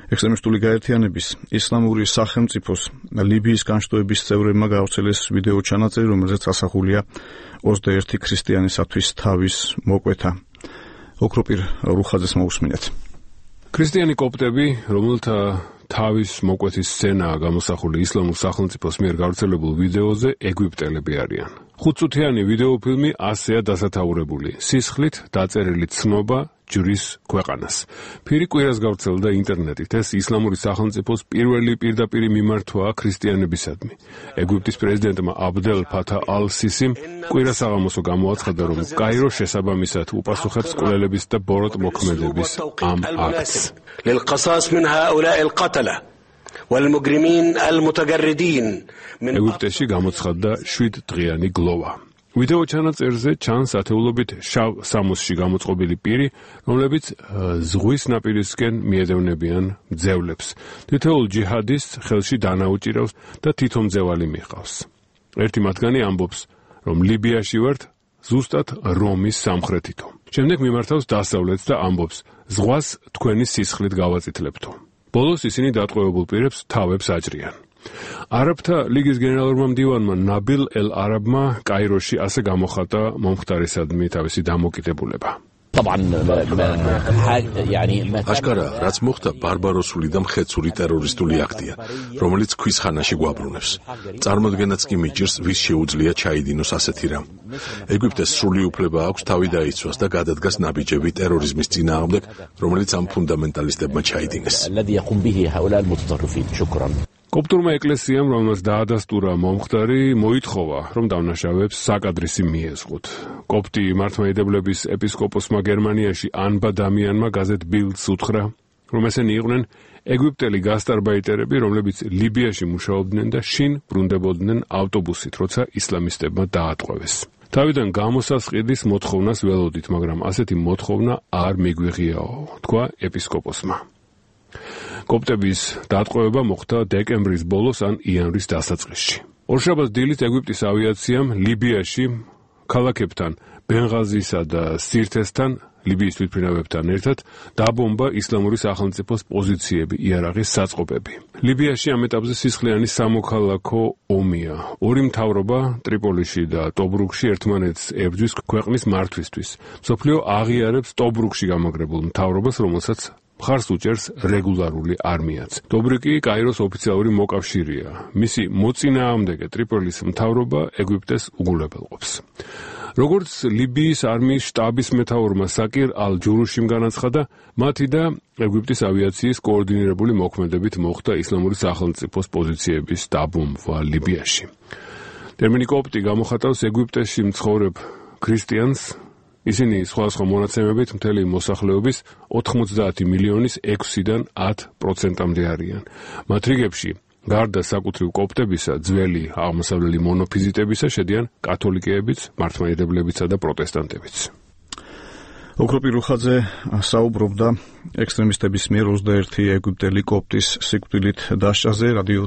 ექსტრემისტული გაერთიანების ისლამური სახელმწიფოს ლიბიის განშტოების წევრებმა გაავრცელეს ვიდეო ჩანაწერი, რომელზეც ასახულია 21 ქრისტიანისათვის თავის მოკვეთა. ოქროპირ რუხაძეს მოусმინეთ. ქრისტიანი კოპტები, რომელთა თავის მოკვეთის სცენაა გამოსახული ისლამურ სახელმწიფოს მიერ გავრცელებულ ვიდეოზე, ეგვიპტელები არიან. 5 წუთიანი ვიდეოფილმი ასეა დასათაურებული. სისხლით დაწერილი ცნობა ჯვრის ქვეყანას. ფირი კვირას გავრცელდა ინტერნეტით. ეს ისლამური სახელმწიფოს პირველი პირდაპირი მიმართვაა ქრისტიანებისადმი. ეგვიპტის პრეზიდენტმა აბდელ ფათა ალ-სისიმ კვირას საღამოსო გამოაცხადა, რომ კაირო შესაბამისად უპასუხებს კვლელების და ბოროტ მოქმედების ამ აქტს. ეგვიპტეში გამოცხადდა 7 დღიანი გლოვა. ვიდეო ჩანაწერზე ჩანს ათეულობით შავ სამოსში გამოწყობილი პირი, რომლებიც ზღვის ნაპირისკენ მიედევნებიან მძევლებს. თითოეულ ჯიჰადისტს ხელში დანა უჭირავს და თითო მძევალი მიჰყავს. ერთი მათგანი ამბობს, რომ ლიბიაში ვართ ზუსტად რომის სამხრეთითო. შემდეგ მიმართავს დასავლეთს და ამბობს, ზღვას თქვენი სისხლით გავაწითლებთო. ბოლოს ისინი დატყვევებულ პირებს თავებს აჭრიან. არაბთა ლიგის გენერალურმა მდივანმა ნაბილ ელ-არაბმა კაიროში ასე გამოხატა მომხდარისადმი თავისი დამოკიდებულება. აშკარა, რაც მოხდა ბარბაროსული და მხეცური ტერორისტული აქტია, რომელიც ქვის ხანაში გვაბრუნებს. წარმოდგენაც კი მიჭირს, ვის შეუძლია ჩაიდინოს ასეთი რამ. ეგვიპტეს სრული უფლება აქვს თავი დაიცვას და გადადგას ნაბიჯები ტერორიზმის წინააღმდეგ, რომელიც ამ ფუნდამენტალისტებმა ჩაიდინეს. კოპტურმა ეკლესიამ, რომელსაც დაადასტურა მომხდარი, მოითხოვა, რომ დავნაშავეებს საკადრისი მიეზღოთ. კოპტი მართლმადიდებლების ეპისკოპოსმა გერმანიაში ანბა დამიანმა გაზეთ ბილდს უთხრა, რომ ესენი იყვნენ ეგვიპტელი გასტარბაიტერები, რომლებიც ლიბიაში მუშაობდნენ და შინ ბრუნდებოდნენ ავტობუსით, როცა ისლამისტებმა დაატყვევეს. თავიდან გამოსასყიდის მოთხოვნას ველოდით, მაგრამ ასეთი მოთხოვნა არ მიგვიღიაო, თქვა ეპისკოპოსმა. კოპტების დატყვევება მოხდა დეკემბრის ბოლოს ან იანვრის დასაწყისში. ორშაბათს დილით ეგვიპტის ავიაციამ ლიბიაში ქალაქებთან ბენღაზისა და სირთესთან, ლიბიის თვითმფრინავებთან ერთად დაბომბა ისლამური სახელმწიფოს პოზიციები, იარაღის საწყობები. ლიბიაში ამ ეტაპზე სისხლიანი სამოქალაქო ომია. ორი მთავრობა ტრიპოლიში და ტობრუკში ერთმანეთს ებრძვის ქვეყნის მართვისთვის. მსოფლიო აღიარებს ტობრუკში გამაგრებულ მთავრობას, რომელსაც მხარს უჭერს რეგულარული არმიაც. ტობრუკი კაიროს ოფიციალური მოკავშირეა. მისი მოწინააღმდეგე ტრიპოლის მთავრობა ეგვიპტეს უგულებელყოფს. როგორც ლიბიის არმიის შტაბის მეთაურმა საკირ ალ-ჯურუშიმ განაცხადა, მათი და ეგვიპტის ავიაციის კოორდინირებული მოქმედებით მოხდა ისლამური სახელმწიფოს პოზიციების დაბომბვა ლიბიაში. ტერმინი კოპტი გამოხატავს ეგვიპტეში მცხოვრებ ქრისტიანს. ისინი სხვადასხვა მონაცემებით მთელი მოსახლეობის 90 მილიონის 6-დან 10%-მდე არიან. მათ რიგებში გარდა საკუთრივ კოპტებისა, ძველი აღმოსავლელი მონოფიზიტებისა შედიან კათოლიკეებიც, მართლმადიდებლებიცა და პროტესტანტებიც. ოქროპირ რუხაძე საუბრობდა ექსტრემისტების მიერ 21 ეგვიპტელი კოპტის სიკვდილით დასჯაზე. რადიო